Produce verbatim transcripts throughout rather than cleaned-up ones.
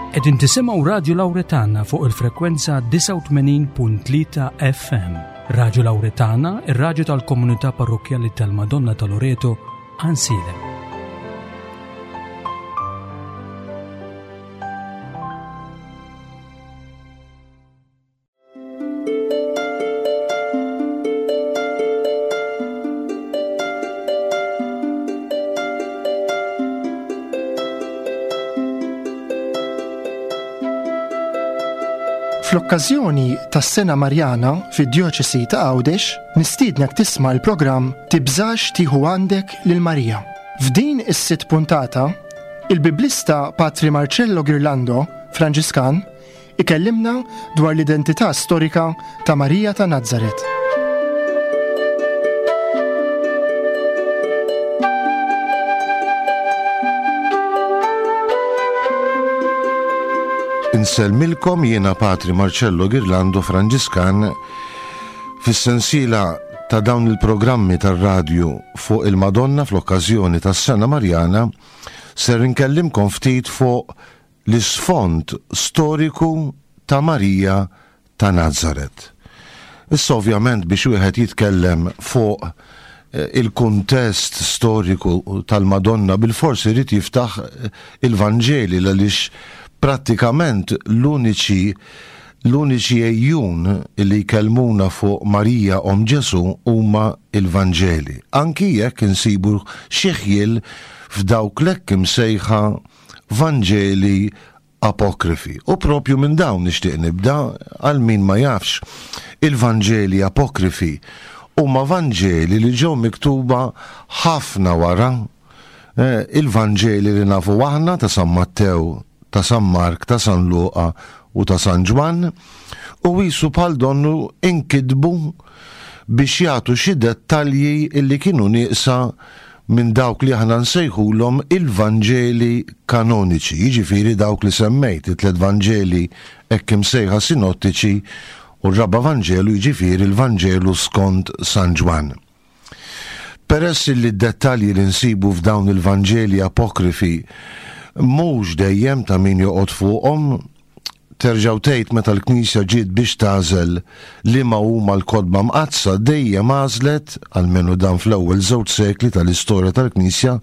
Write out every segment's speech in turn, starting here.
Qegħdin tisimgħu Radju Lawretana fuq il-frekwenza disgħa u tmenin punt tlieta F M. Radju Lawretana, ir-radju tal-komunità parrokkjali tal-Madonna ta' Loreto, Għajnsielem. Fl-okkażjoni tas-Sena Marjana fid-Djoċesi ta' Għawdex, nistiednek tisma' l-programm Tibżax tieħu għandek lil Marija. F'din is-sitt puntata, il-biblista Patri Marcello Ghirlando, Franġiskan, ikellimna dwar l-identità storika ta' Marija ta' Nazaret. Insellmilkom jiena Patri Marcello Ghirlando Franġiskan fis-sensiela ta' dawn il-programmi tar-radju fuq il-Madonna fl-okkażjoni tas-Sena Marjana ser inkellimkom ftit fuq l-isfond storiku ta' Marija ta' Nazaret. Issa ovvjament biex wieħed jitkellem fuq, eh, il-kuntest storiku tal-Madonna bil-forsi jrid jiftaħ, eh, il-Vanġeli għaliex prattikament l-uniċi, l-uniċi ejjun li jkellmuna fuq Marija om Ġesu huma il-Vanġeli. Anki jekk insibu xi ħjiel f'dawk l-hekk imsejħa Vanġeli apokrifi. U propju minn dawn nixtieq nibda għal min ma jafx. Il-Vanġeli apokrifi huma Vanġeli li ġew miktuba ħafna wara, eh, il-Vanġeli li nafu aħna ta' San Mattew, ta' San Mark, ta' San Luqa u ta' San Ġwann, u qisu bħal donnu inkitbu biex jagħtu xi dettalji illi kienu nieqsa minn dawk li aħna nsejħulhom il-Vanġeli kanoniċi, jiġifieri dawk li semmejt, it-tliet Vanġeli hekk imsejħa sinottiċi u r-raba' Vanġelu jiġifieri l-Vanġelu skont San Ġwann. Peress li d-dettalji li nsibu f'dawn il-Vanġeli apokrifi mhux dejjem ta' min joqgħod fuqhom, terġgħu tgħid meta l-Knisja ġiet biex tagħżel liema huma l-kotba mqaddsa dejjem għażlet, almenu dan fl-ewwel żewġ sekli tal-istorja tal-Knisja,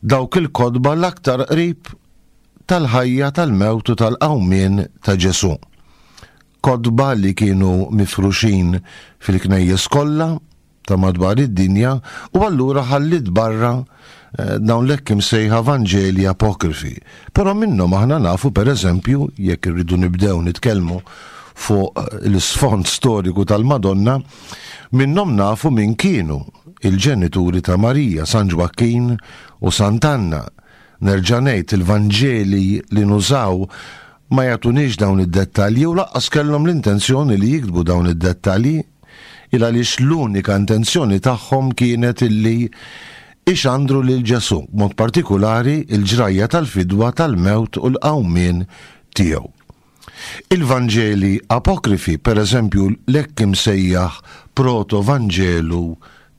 dawk il-kotba l-aktar qrib tal-ħajja, tal-mewt u tal-qawmien ta' Ġesu. Kotba li kienu mifruxin fil-knejjes kollha ta' madwar id-dinja u allura ħallit barra, eh, dawn l-hekk imsejħa Vanġeli apokrifi. Però minnhom aħna nafu pereżempju, jekk irridu nibdew nitkellmu fuq l-isfond storiku tal-Madonna, minnhom nafu min kienu il-ġenituri ta' Marija, San Ġwakkin u Sant'Anna. Nerġa' ngħid il-Vanġeli li nużaw ma jagħtuniex dawn id-dettalji u lanqas kellhom l-intenzjoni li jiktbu dawn id-dettalji, il għaliex l-unika intenzjoni tagħhom kienet illi ixandru lil Ġesu, b'mod partikulari il-ġrajja tal-fidwa tal-mewt u l-qawmien tiegħu. Il-Vanġeli apokrifi, per eżempju l-hekk imsejjaħ proto-Vanġelu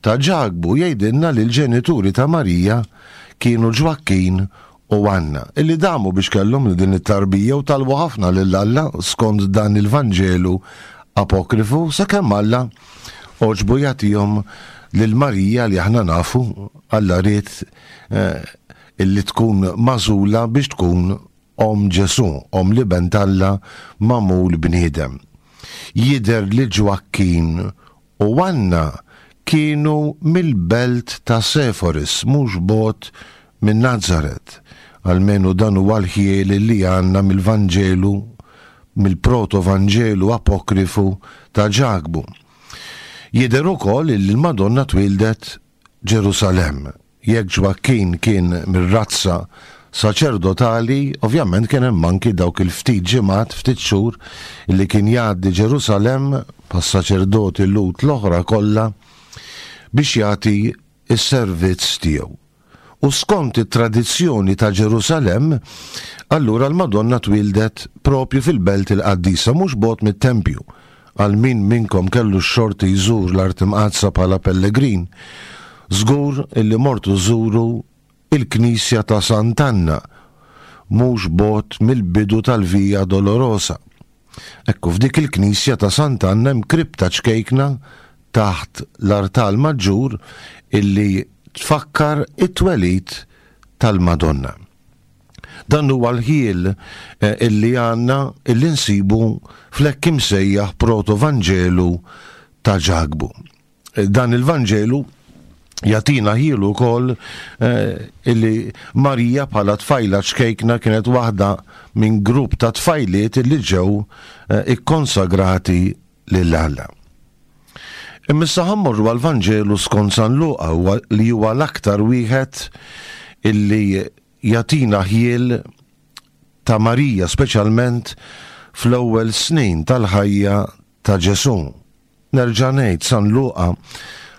ta' Ġakbu, jgħidilna li l-ġenituri ta' Marija kienu Ġwakkin u Anna, illi damu biex kellhom din it-tarbija u talbu ħafna lil Alla skont dan il-Vanġelu apokrifu, sakemm Alla għoġbu jagħtihom lil Marija li aħna nafu Alla ried, eh, illi tkun magħżula biex tkun om Ġesu, om li ben t'Alla magħmul bniedem. Jidher li Ġwakkin u Anna kienu mill-belt ta' Seforis, mhux bogħod minn Nazaret. Almenu dan huwa l-ħjiel li għandna mill-Vanġelu, mill-proto-Vanġelu apokrifu ta' Ġakbu. Jidher ukoll li l-Madonna twildet Ġerusalemm. Jekk Ġwakkin kien mir-razza saċerdotali, ovvjament kien hemm anki dawk il-ftit ġimgħat, ftit xhur li kien jgħaddi Ġerusalemm pas-saċerdoti Lhud l-oħra kollha biex jagħti s-servizz tiegħu. U skont it-tradizzjoni ta' Ġerusalemm, allura l-Madonna twildet propju fil-Belt il-Qaddisa, mhux bogħod mit-tempju. Għal min minnkom kellu x-xorti jżur l-Art Imqaddsa bħala pellegrin, żgur illi mortu żuru il-Knisja ta' Sant'Anna. mhux bogħod mill-bidu tal-Via Dolorosa. Ekku, f'dik il-knisja ta' Sant'Anna hemm kripta ċkejkna taħt l-artal maġġur illi tfakkar it-twelid tal-Madonna. Dan huwa l-ħiel illi għandna illi nsibu fl-hekk imsejjaħ proto-Vanġelu ta' Ġakbu. Dan il-Vanġelu jagħtina ħielu wkoll illi Marija bħala tfajla ċkejkna kienet waħda minn grupp ta' tfajliet illi ġew ikkonsagrati lil Alla. Imma issa ħa mmorru għall-Vanġelu skont San Luqa, li huwa l-aktar wieħed illi jagħtina ħiel ta' Marija, speċjalment fl-ewwel snin tal-ħajja ta' Ġesù. Nerġa' ngħid, San Luqa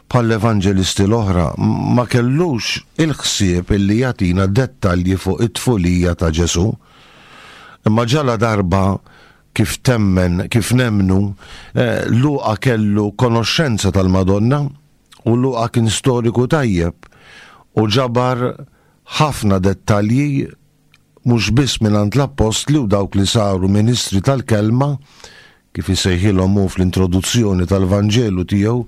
bħall-evanġelisti l-oħra ma kellux il-ħsieb illi jagħtina dettalji fuq it-tfulija ta' Ġesù. Imma ġala darba kif temmen, kif nemnu, Luqa kellu konoxxenza tal-Madonna u Luqa kien storiku tajjeb u ġabar ħafna dettalji mhux biss mingħand l-appostli u dawk li saru ministri tal-kelma, kif isejħilhom hu fl-introduzzjoni tal-Vanġelu tiegħu,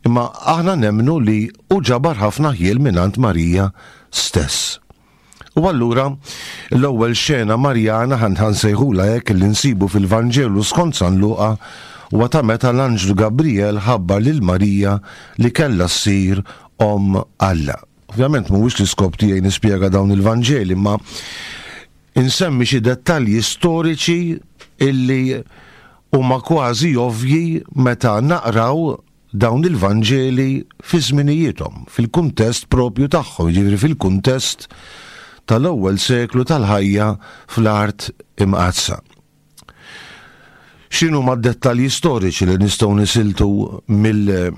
imma aħna nemnu li hu ġabar ħafna ħjiel mingħand Marija stess. U allura l-ewwel xena Marjana ħan nsejħulha hekk li nsibu fil-Vanġelu skont San Luqa huwa ta' meta l-Anġlu Gabriel ħabbar lil Marija li kellha ssir omm Alla. Ovvjament mhuwiex l-iskop tiegħi nispjega dawn il-Vanġeli, imma insemmi xi dettalji storiċi illi huma kważi ovvji meta naqraw dawn il-Vanġeli fi żminijiethom, fil-kuntest propju tagħhom, jiġifieri fil-kuntest tal-ewwel seklu tal-ħajja fl-art imqaddsa. X'inhu ma' dettalji storiċi li nistgħu nisiltu mill-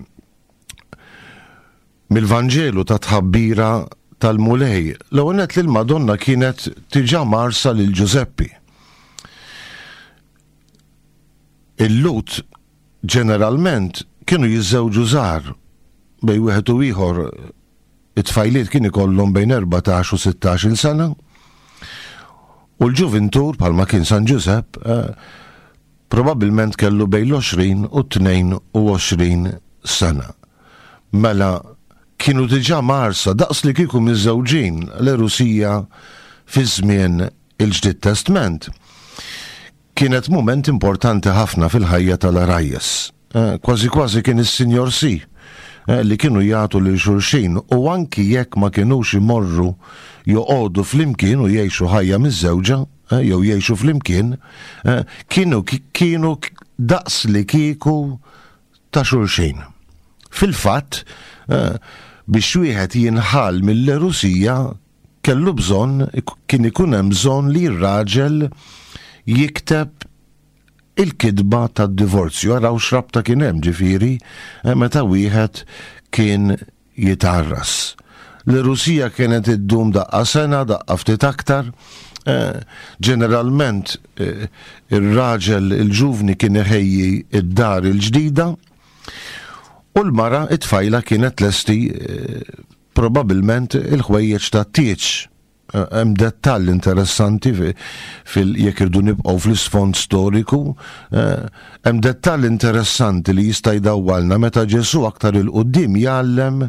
mill-Vanġelu ta' tħabbira tal-Mulej? L-ewwel nett li l-Madonna kienet diġà marsa lil Ġużeppi. Il-Lut ġeneralment kienu jiżżewġu żgħar, bejn wieħed u ieħor it-tfajliet kien ikollhom bejn erbatax u sittax-il sena, u l-ġuvintur bħalma kien San Ġużepp probabbilment kellu bejn l-għoxrin u tnejn u għoxrin sena. Mela kienu diġà marsa daqs li kieku miżżewġin l-Erusija fi żmien il-Ġdid Testment. Kienet moment importanti ħafna fil-ħajja tal-Arajjes. Kważi kważi kien is-Sinjor Si li kienu jagħtu lil xulxin, u anki jekk ma kinux imorru joqogħdu flimkien u jgħixu ħajja miż-żewġa, jew jgħixu flimkien, kienu kienu daqs li kieku ta' xulxin. Fil-fatt, biex wieħed jinħall mill-Erusija kellu bżonn, kien ikun hemm bżonn li r-raġel jikteb il-kidba tad-divorzju. Araw x'rabta kien hemm, ġifieri, meta wieħed kien jitarras. L-Erusija kienet iddum daqqa sena, daqqa ftit aktar. Ġeneralment ir-raġel il-ġuvni kien iħejji id-dar il-ġdida u l-mara it-tfajla kienet lesti probabilment il-ħwejjeġ tat-tieġ. Hemm dettall interessanti fil jekk irdu nibqgħu fl-isfond storiku, hemm dettall interessanti li jista' jdawwalna meta Ġesù aktar il quddiem jgħallem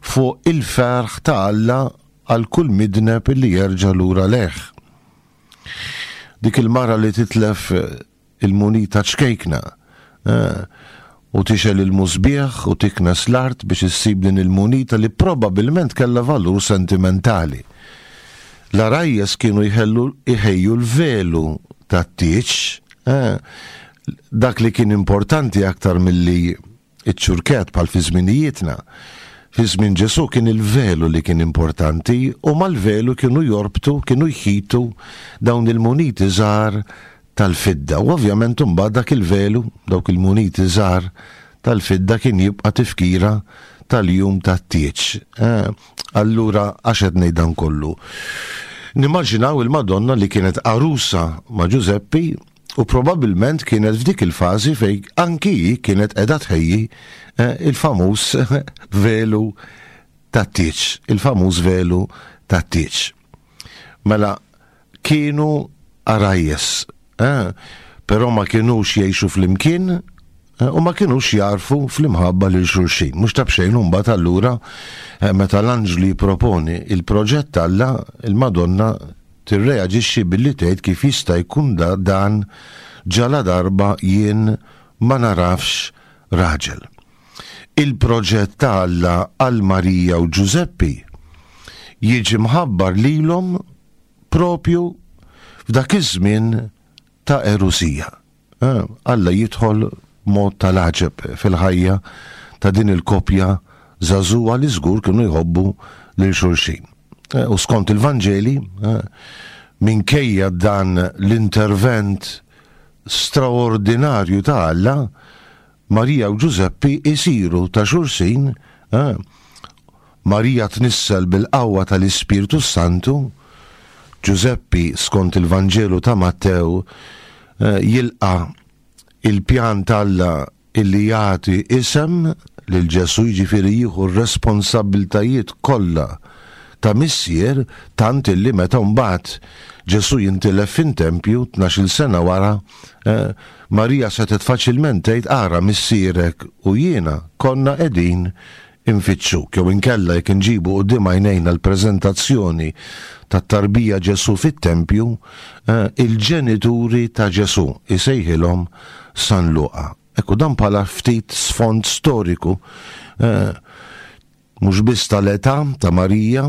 fuq il-ferħ ta' Alla għal kull midneb li jerġa' lura lejh. Dik il-mara li titlef il-munita ċkejkna u tixel il-musbieħ u tiknes l-art biex issib din il-munita li probabilment kellha valur sentimentali. L-arajjes kienu jħejju l-velu tat-tieġ, dak li kien importanti aktar milli iċ-ċurket bħal fi żminijietna. Fi żmien Ġesù kien il-velu li kien importanti, u mal-velu kienu jorbtu, kienu jħitu dawn il-muniti żgħar tal-fidda. U ovvjament imbagħad dak il-velu, dawk il-muniti żgħar tal-fidda kien jibqa' tifkira tal-jum tat-tieġ. Allura għax qed ngħid dan kollu? Nimmaġinaw il-Madonna li kienet għarusa ma' Ġużeppi u probabilment kienet f'dik il-fażi fejn anki hi kienet qiegħda tħejji il-famuż velu tat-tieġ, il-famuż velu tat-tieġ. Mela Kienu għarajjes, eh, però ma kienux jgħixu flimkien eh, u ma kienux jarfu fl-imħabba lil xulxin. Mhux ta' b'xejn imbagħad allura eh, meta l-anġlu jipproponi il-proġett t'Alla, il-Madonna tirreaġixxi billi tgħid kif jista' jkun dan ġala darba jien ma narafx raġel. Il-proġett ta' Alla għal Marija u Ġużeppi jiġi mħabbar lilhom propju f'dak iż-żmien ta' erusija. Eh, Alla jidħol mod tal-għaġeb fil-ħajja ta' din il-kopja żagħżugħa li żgur kienu jħobbu lil xulxin. Eh, u skont il-Vanġeli, eh, minkejja dan l-intervent straordinarju ta' Alla, Marija u Ġużeppi isiru ta' xulxin, Marija tnissel bil-qawwa tal-Ispirtu Santu, Ġużeppi skont il-Vanġelu ta' Mattew jilqa' il-pjan t'Alla illi jagħti isem lil Ġesu, jiġifieri jieħu r-responsabbiltajiet kollha ta' missier, tant illi meta mbagħad Ġesu jintilef fin-tempju tnax-il sena wara, eh, Marija setgħet faċilment tgħid ara missierek u jiena konna qegħdin infittxuk, jew inkella jekk inġibu quddiem għajnejna l-preżentazzjoni tat-tarbija Ġesu fit-tempju, eh, il-ġenituri ta' Ġesu isejħilhom San Luqa. Ekku dan bħala ftit sfond storiku, eh, mhux biss tal-età ta' Marija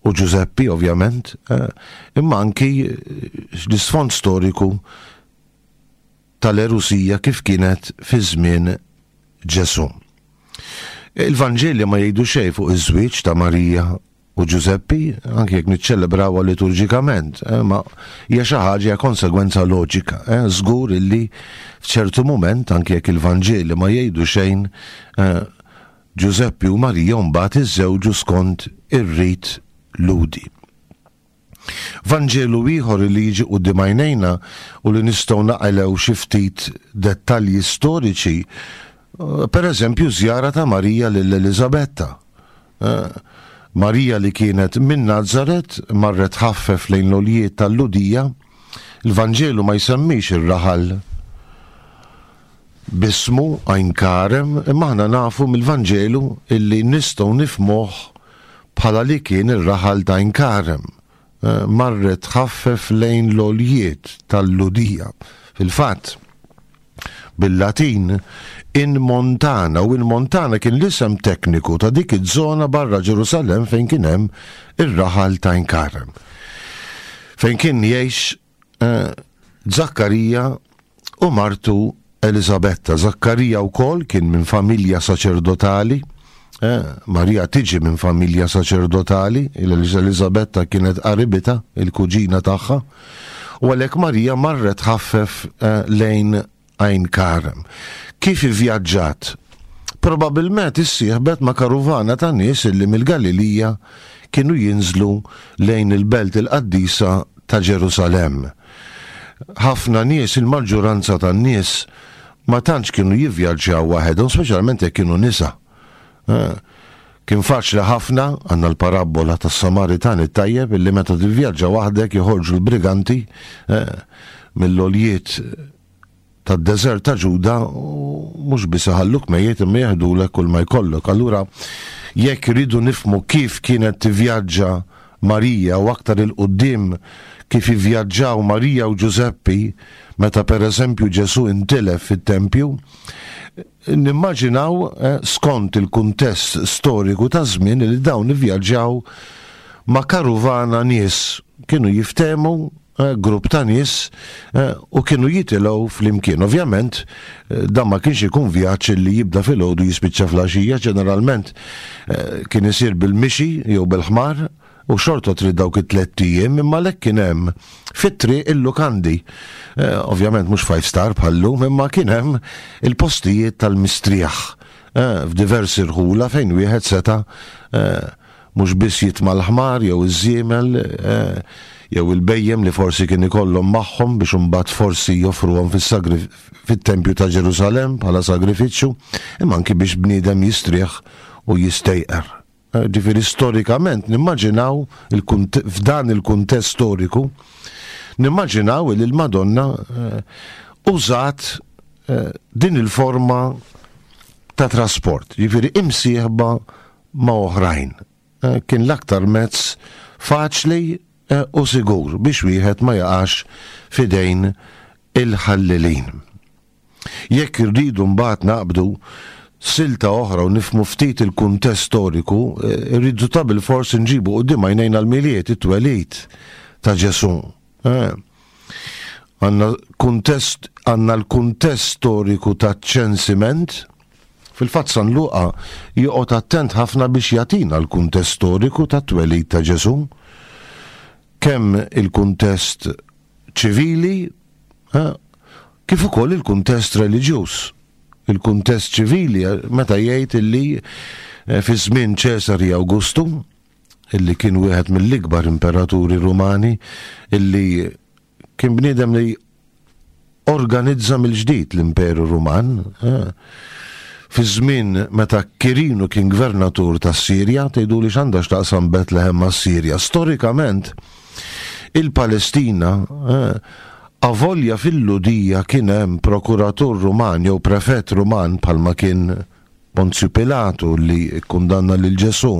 u Ġużeppi ovvjament, eh, imma anki l-isfond storiku tal-erusija kif kienet fi żmien Ġesu. Il-Vanġeli ma jgħidu xejn fuq iż-żwieġ ta' Marija u Ġużeppi, anke jekk niċċelebrawha liturġikament, eh, ma hija xi ħaġa hija konsegwenza loġika. Eh, żgur illi f'ċertu mument, anke jekk il-Vanġeli ma jgħidu xejn, eh, Ġużeppi u Marija mbagħad iżżewġu skont ir-rit Lhudi. Vanġelu ieħor li jiġi quddiem għajnejna u li nistgħu naqilgħu xi ftit dettalji storiċi, per eżempju żjara ta' Marija lil Eliżabetta. Marija li kienet minn Nazaret marret ħaffef lejn l-oljiet tal-Ludija. Il-Vanġelu ma jsemmix ir-raħal bismu Għajn Karem, imma aħna nafu mill-Vanġelu illi nistgħu nifhmuh bħala li kien ir-raħal ta' Għajn Karem. Marret ħaffef lejn l-oljiet tal-Ludija. Fil-fatt, bil-Latin, in Montana, u in Montana kien l-isem tekniku ta' dik iż-żona barra Ġerusalemm fejn kien hemm ir-raħal ta' Għajn Karem. Fejn kien jgħix Zakkarija u martu Eliżabetta. Zakkarija wkoll kien minn familja saċerdotali, Marija tiġi minn familja saċerdotali, Eliżabetta kienet qaribita, il-kuġina tagħha, u għalhekk Marija marret ħaffef lejn Għajn Karem. Kif ivvjaġġat? Probabilment issieħbet ma' karuvana ta' nies illi mill-Galilija kienu jinżlu lejn il-belt il-qaddisa ta' Ġerusalemm. Ħafna nies, il-maġġoranza tan-nies, ma tantx kienu jivvjaġġaw waħedhom, speċjalment jekk kienu nisa. Kien faċli ħafna, għandna l-parabbola tas-Samaritan it-tajjeb, illi meta tivvjaġġa waħdek joħorġu l-briganti mill-oljiet tad-deżert ta' Ġuda u mhux biss iħalluk mejjet imma jeħdulek kull ma jkollok. Allura jekk iridu nifhmu kif kienet tivvjaġġa Marija u aktar il-quddiem kif ivvjaġġaw Marija u Ġużeppi meta pereżempju Ġesu intilef fit-tempju, nimmaġinaw skont il-kuntest storiku ta' żmien li dawn ivvjaġġaw ma' karuvana nies, kienu jiftehmu grupp ta' nies u kienu jitilgħu flimkien. Ovvjament dan ma kienx ikun vjaġġ li jibda filgħodu jispiċċa fl-għaxija, ġeneralment kien isir bil-mixi jew bil-ħmar u xorta trid dawk it-tliet ijiem, imma lek kien hemm fit-triq il-lukandi. Ovvjament mhux five star bħallum, imma kien hemm il-postijiet tal-mistrieħ f'diversi rħula fejn wieħed seta' mhux biss jitma' l-ħmar jew iż-żiemel jew il-bejjem li forsi kien ikollhom magħhom biex imbagħad forsi joffruhom fit-tempju ta' Ġerusalemm bħala sagrifiċċju, imma anki biex bniedem jistrieħ u jistejqer. Ġifieri storikament nimmaġinaw f'dan il-kuntest storiku, nimmaġinaw li l-Madonna użat din il-forma ta' trasport, ġifieri imsieħba ma' oħrajn. Kien l-aktar mezz faċli u sigur biex wieħed ma jaqax fidejn il-ħallelin. Jekk irridu mbagħad naqbdu silta oħra u nifmu ftit il-kuntest storiku, irridu ta' bilfors nġibu quddiem għajnejna l-Milied, it-twelid ta' Ġesù. Għandna kuntest, għandna l-kuntest storiku ta' ċensiment. Fil-fatt San Luqa joqgħod attent ħafna biex jagħtina l-kuntest storiku ta' twelid ta' Ġesù. Kemm il-kuntest ċivili, kif ukoll il-kuntest reliġjuż. Il-kuntest ċivili meta jgħid illi fi żmien Ċesari Awgustu, illi kien wieħed mill-ikbar imperaturi Rumani, illi kien bniedem li organizza mill-ġdid l-Imperu Ruman, fi żmien meta Kirinu kien gvernatur tas-Sirja, tgħidu li x'għandha x'taqsam Betlehem mas-Sirja. Storikament il-Palestina, avolja fil-Ludija kien hemm prokuratur Ruman jew prefett Ruman bħalma kien Ponzju Pilatu li kkundanna lil Ġesù,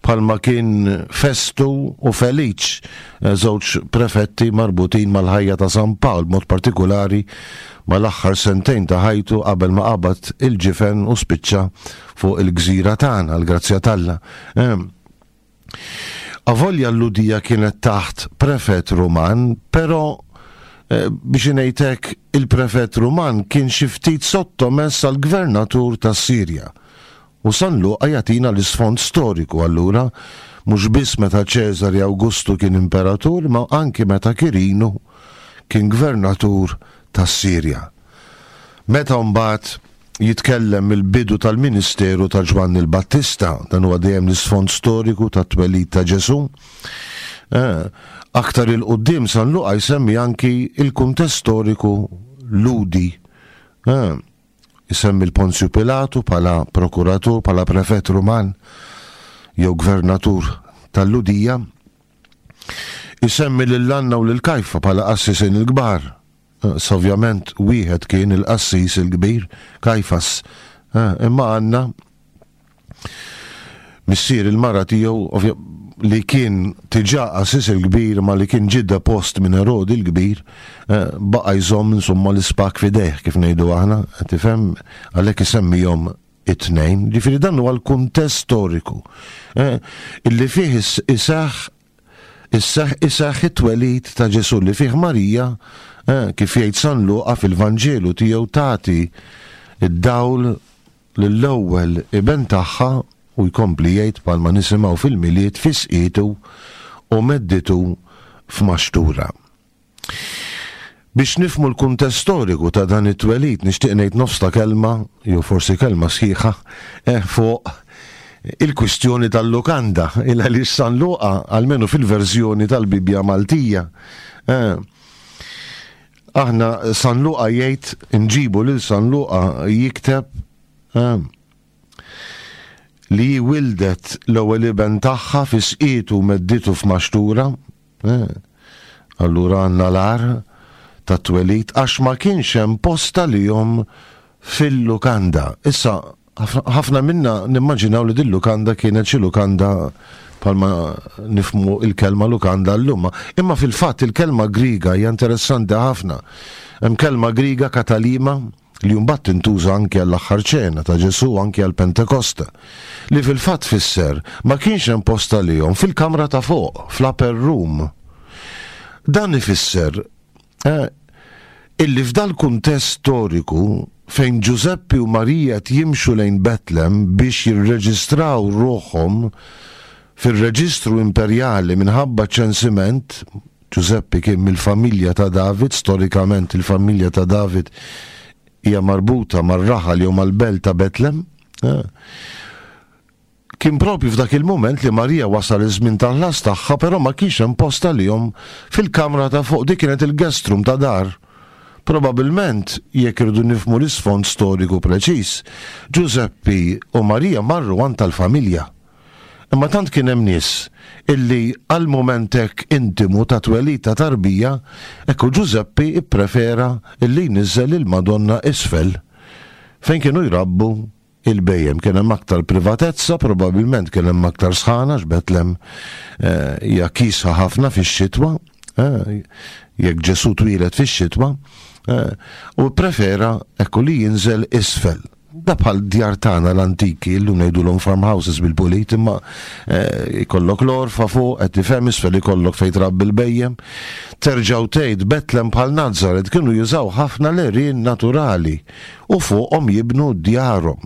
bħalma kien Festu u Feliċ, żewġ prefetti marbutin mal-ħajja ta' San Pawl, b'mod partikolari mal-aħħar sentejn ta' ħajtu qabel ma qabad il-ġifen u spiċċa fuq il-gżira tagħna, l-grazzja t'Alla. Avolja l-Ludija kienet taħt prefett Ruman, però biex ngħidlek il-prefett Ruman kien xi ftit sottomess għall gvernatur tas-Sirja. U San Luqa jagħtina l-isfond storiku allura, mhux biss meta Ċesari Awgustu kien imperatur, ma anki meta Kirinu kien gvernatur tas-Sirja. Meta mbagħad jitkellem il-bidu tal-ministeru ta' Ġwanni l-Battista, dan huwa dejjem l-isfond storiku tat-twelid ta' Ġesù. Aktar il-qudiem San Luqa jsemmi anki il-kuntest storiku Ludi. Isemmi l-Ponzju Pilatu bħala prokuratur, bħala prefett Ruman jew gvernatur tal-Ludija. Isemmi lil Anna u lil Kajfa bħala qassisin il-kbar. Ovvjament wieħed kien il-qassis il-kbir, Kajfas. Imma Anna missier il-mara tiegħu li kien tiġa qassis il-kbir ma li kien ġidda post minn Erodi il-kbir, baqa' jżomm insomma l-ispak f'idejh kif ngħidu aħna, tifhem, għalhekk isemmihom it-tnejn. Ġifieri dan huwa l-kuntest storiku illi fih iseħħ isseħħ it-twelid ta' Ġesù, li fih Marija, kif jgħid San Luqa fil-Vanġelu tiegħu, tagħti id-dawl lill-ewwel iben tagħha, u jkompli jgħid bħalma nisimgħu fil-Milied fisqietu u medditu f'maxtura. Biex nifmu l-kuntest storiku ta' dan it-twelid, nixtieq ngħid nofs ta' kelma, jew forsi kelma sħiħa, fuq il-kwistjoni tal-lukanda, il għaliex San Luqa, almenu fil-verżjoni tal-Bibbja Maltija, aħna San Luqa jgħid, nġibu lil San Luqa jikteb li wildet l-ewwel iben tagħha fi sqietu medditu f'maxtura. Allura għandna l-għar ta' twelid għax ma kienx hemm posta lihom fil-lukanda. Issa ħafna minna nimmaġinaw li din lukanda kienet xi lukanda bħalma nifmu il-kelma lukanda llum, imma fil-fatt il-kelma Griega hija interessanti ħafna. Hemm kelma Griega katalima li mbagħad tintuża anke għall-aħħar ċena ta' Ġesù, anke għall Pentekosta, li fil-fatt fisser ma kienx hemm posta lihom fil-kamra ta' fuq, fl-upper room. Dan ifisser eh, illi f'dal kuntest storiku fejn Ġużeppi u Marija jimxu lejn Betlem biex jirreġistraw ruħhom fir-reġistru imperjali minħabba ċensiment, Ġużeppi kien mill-familja ta' David, storikament il-familja ta' David hija marbuta mar-raħal jew mal-belt ta' Betlem. Kien propju f'dak il-moment li Marija wasal iż-żmien tal-ħlas tagħha, però ma kienx hemm post għalihom fil-kamra ta' fuq, dik kienet il-guest room ta' dar. Probabilment, jekk irridu nifhmu l-isfond storiku preċiż, Ġużeppi u Marija marru għand tal-familja. Imma tant kien hemm nies illi għal mument hekk intimu ta' twelid ta' tarbija, ekku Ġużeppi ipprefera illi jniżżel il-Madonna isfel fejn kienu jrabbu il-bhejjem. Kien hemm aktar privatezza, probabbilment kien hemm aktar sħana, x'Betlem eh, hija kiesħa ħafna fix-xitwa, eh, jekk Ġesu twieled fix-xitwa, eh, u prefera ekku li jinżel isfel. Da bħal djar tagħna l-antiki, illum ngħidulhom farmhouses bil-pulit, imma ikollok l-għorfa fuq, qed tifhem, isfel ikollok fejn trabbi l-bhejjem. Terġgħu tgħid Betlem bħal Nazaret kienu jużaw ħafna l-għerien naturali u fuqhom jibnu djarhom.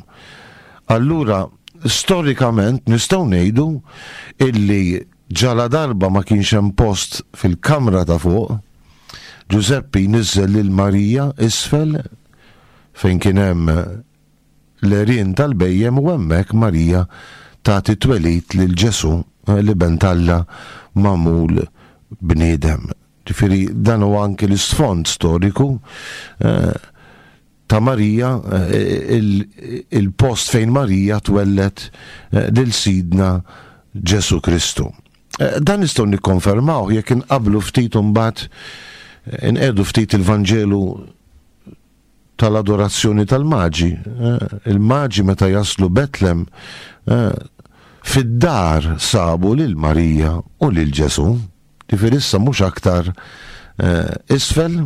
Allura, storikament nistgħu ngħidu illi ġala darba ma kienx hemm post fil-kamra ta' fuq, Ġużeppi niżel lil Marija isfel fejn kien hemm l-għerien tal-bhejjem u hemmhekk Marija tagħti twelid lil Ġesu, l-Iben t'Alla magħmul bniedem. Ġifieri dan huwa anki l-isfond storiku eh, ta' Marija, eh, il-post fejn Marija twellet eh, lil Sidna Ġesu Kristu. Dan nistgħu nikkonfermaw jekk inqablu ftit imbagħad inqegħdu ftit il-Vanġelu tal-adorazzjoni tal-maġi. Il-maġi meta jaslu Betlem fid-dar sabu lil Marija u lil Ġesu. Ġifieri issa mhux aktar isfel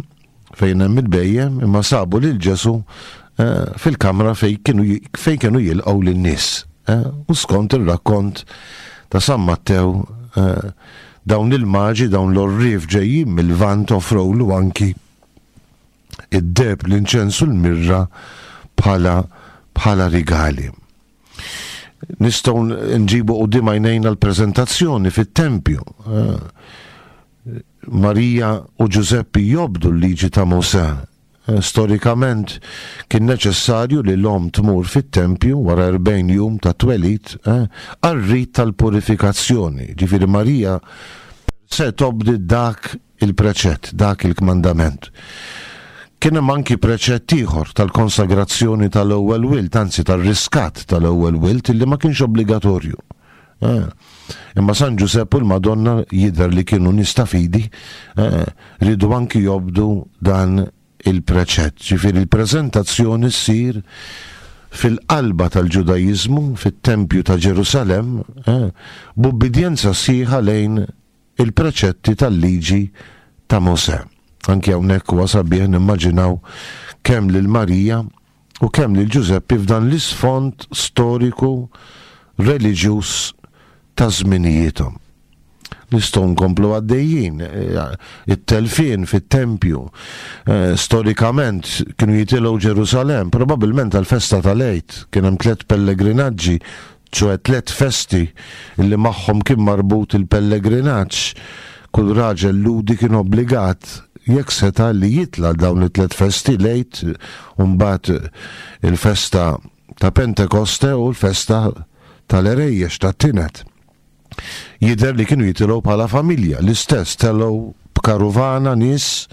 fejn hemm il-bhejjem, imma sabu lil Ġesu fil-kamra fejn kienu fejn kienu jilqgħu lin-nies. U skont ir-rakkont ta' San Mattew, dawn il-maġi, dawn l-orrif ġejjin mill-Lvant offrewlu anki id-deheb, l-inċensu, l-mirra bħala bħala rigali. Nistgħu nġibu quddiem għajnejna l-preżentazzjoni fit-tempju. Marija u Ġużeppi jobdu l-liġi ta' Mosè. Storikament kien neċessarju li l-om tmur fit-tempju wara erbgħin jum ta' twelid għar-rit tal-purifikazzjoni. Ġifieri Marija se tobdi dak il-preċett, dak il-kmandament. Kien hemm anki preċett ieħor tal-konsagrazzjoni tal-ewwel wild, anzi tar-riskat tal-ewwel wild, illi ma kienx obbligatorju. Eh. Imma San Ġużepp u l-Madonna jidher li kienu nies ta' fidi, eh, ridu anki jobdu dan il-preċett. Ġifieri il-preżentazzjoni ssir fil-qalba tal-Ġudajiżmu, fit-Tempju ta' Ġerusalemm, eh, b'ubbidjenza sħiħa lejn il-preċetti tal-liġi ta' Mosè. Anki hawnhekk huwa sabiħ nimmaġinaw kemm lil Marija u kemm lil Ġużeppi f'dan l-isfond storiku reliġjuż ta' żminijiethom. Nistgħu nkomplu għaddejjin, it-telfien fit-tempju, storikament kienu jitilgħu Ġerusalemm, probabbilment għall-festa tal-Għid, kien hemm tliet pellegrinaġġi, ċoe tliet festi li magħhom kien marbut il-pellegrinaġġ. Kull raġel ludi kien obbligat jekk seta' li jitla' dawn it-tliet festi, l-Għid, u mbagħad il-festa ta' Pentekoste u l-festa tal-Erejjex tat-Tinet. Jidher li kienu jitilgħu bħala familja, l-istess telgħu b'karuvana nies,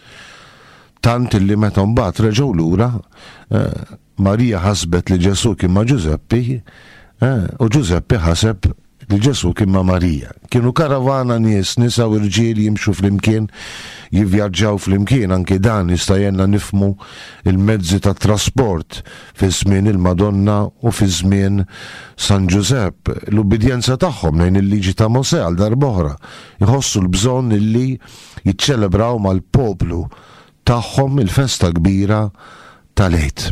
tant illi meta mbagħad reġgħu lura, Marija ħasbet li Ġesu kien ma' Ġużeppi, u Ġużeppi ħaseb li Ġesu kien ma' Marija. Kienu karavana nies, nisa u rġiel jimxu flimkien, jivvjaġġaw flimkien, anki dan jista' jgħinna nifhmu il-mezzi ta' trasport fi żmien il-Madonna u fi żmien San Ġużepp. L-ubbidjenza tagħhom lejn il-liġi ta' Mosè għal darb'oħra jħossu l-bżonn illi jiċċelebraw mal-poplu tagħhom il-festa kbira tal-Għid.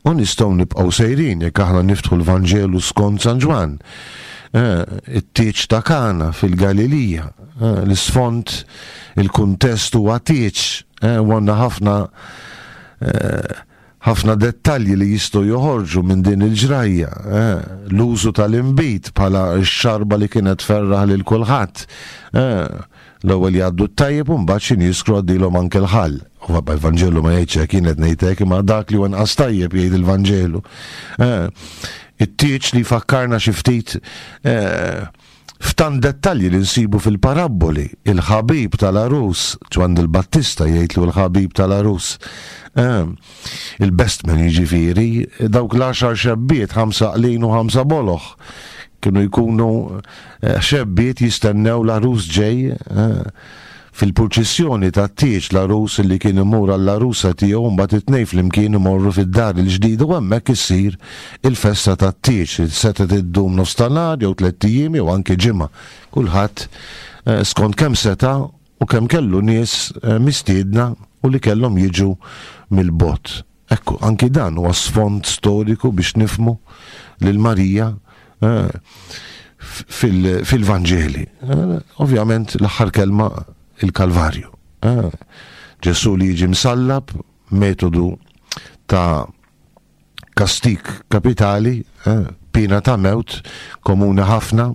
U nistgħu nibqgħu sejrin jekk aħna niftħu l-Vanġelu skont San Ġwann. It-tieġ ta' Kana fil-Galilija, l-isfond, il-kuntest huwa tieġ, u għandna ħafna ħafna dettalji li jistgħu joħorġu minn din il-ġrajja. L-użu tal-inbid bħala x-xarba li kienet ferraħ lil kulħadd. L-ewwel jgħaddu t-tajjeb u mbagħad xi jiskru għaddilhom anke l-ħall. U vabbè, il-Vanġelu ma jgħidx hekk, jien qed ngħid hekk, imma dak li huwa inqas tajjeb jgħid il-Vanġelu. It-tieġ li fakkarna xi ftit f'tant dettalji li nsibu fil-parabboli, il-ħabib tal-arus, Ġwanni l-Battista jgħidlu l-ħabib tal-arus, il-best man jiġifieri, dawk l-għaxar xebbiet, ħamsa qlin u ħamsa boloħ. Kienu jkunu eh, xebbiet jistennew l-għarus ġej eh, fil-purċissjoni ta' tieġ l-għarus li kien imur għall-għarusa tiegħu mbagħad it-tnejn flimkien imorru fid-dar il-ġdida u hemmhekk issir il-festa tat-tieġ. Setgħet iddum nofs ta' nhar jew tlett ijiem jew anke ġimgħa. Kulħadd eh, skont kemm seta' u kemm kellu nies mistiedna u li kellhom jiġu mill-bogħod. Ekku, anki dan huwa sfond storiku biex nifmu lil Marija eh, fil-Vanġeli. Eh, ovvjament l-aħħar kelma il-Kalvarju. Eh, Ġesù li jiġi msallab, metodu ta' kastik kapitali, pina ta' mewt komuni ħafna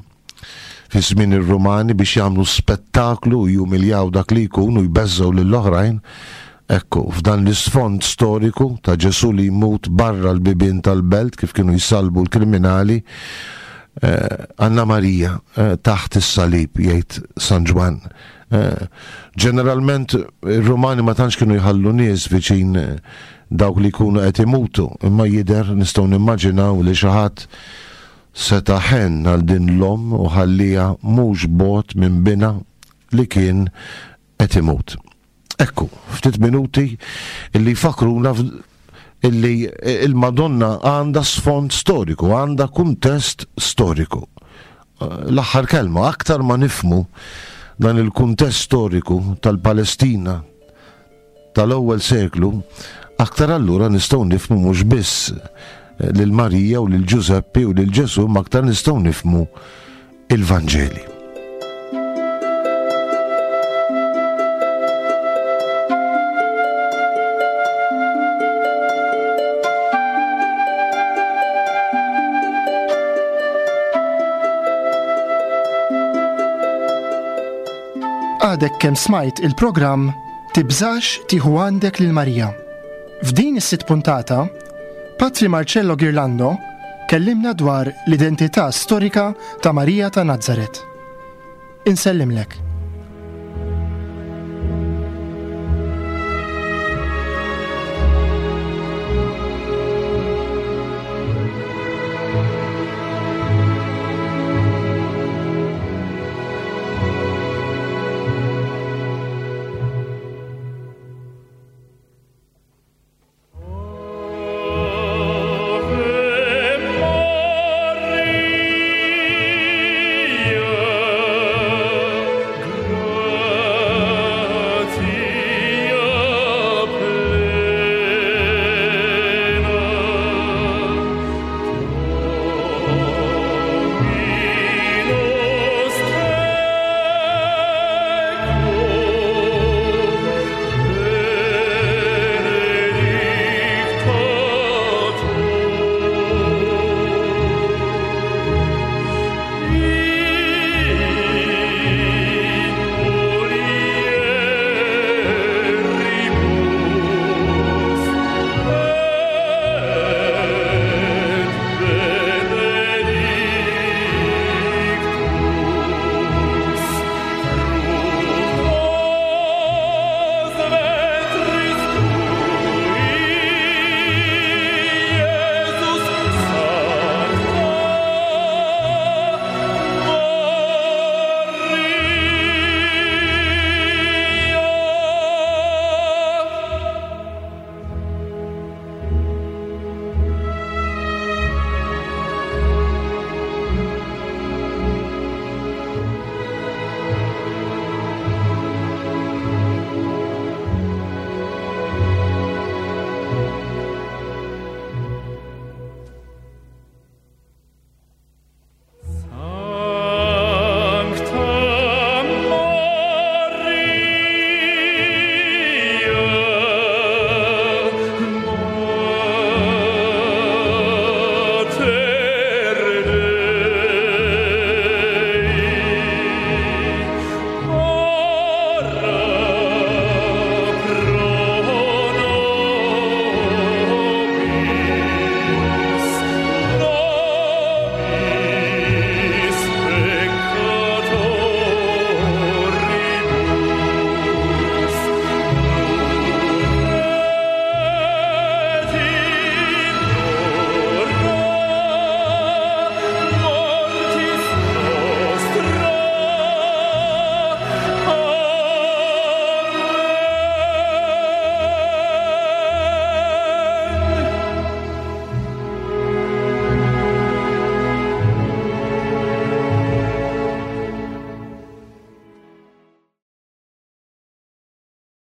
fi żmien ir-Rumani biex jagħmlu spettaklu u jumiljaw dak li jkun u jbeżżgħu lill-oħrajn. Ekku, f'dan l-isfond storiku ta' Ġesù li jmut barra l-bibien tal-belt kif kienu jsalbu l-kriminali, eh, Anna Marija eh, taħt is-salib jgħid San Ġwann. Eh, ġeneralment ir-Rumani ma tantx kienu jħallu nies viċin dawk li jkunu qed imutu, imma jidher nistgħu nimmaġinaw li xi ħadd seta' ħenn għal din l-omm u ħallieha mhux bogħod minn binha li kien qed imut. Ekku, ftit minuti illi jfakkruna illi il-Madonna għandha sfond storiku, għandha kuntest storiku. L-aħħar kelma, aktar ma nifmu dan il-kuntest storiku tal-Palestina tal-ewwel seklu, aktar allura nistgħu nifmu mhux biss lil Marija u lil Ġużeppi u lil Ġesù, ma aktar nistgħu nifmu il-Vanġeli. Għadek kemm smajt il-programm Tibżax tieħu għandek lil Marija. F'din is-sitt puntata, Patri Marcello Ghirlando kellimna dwar l-identità storika ta' Marija ta' Nazaret. Insellimlek.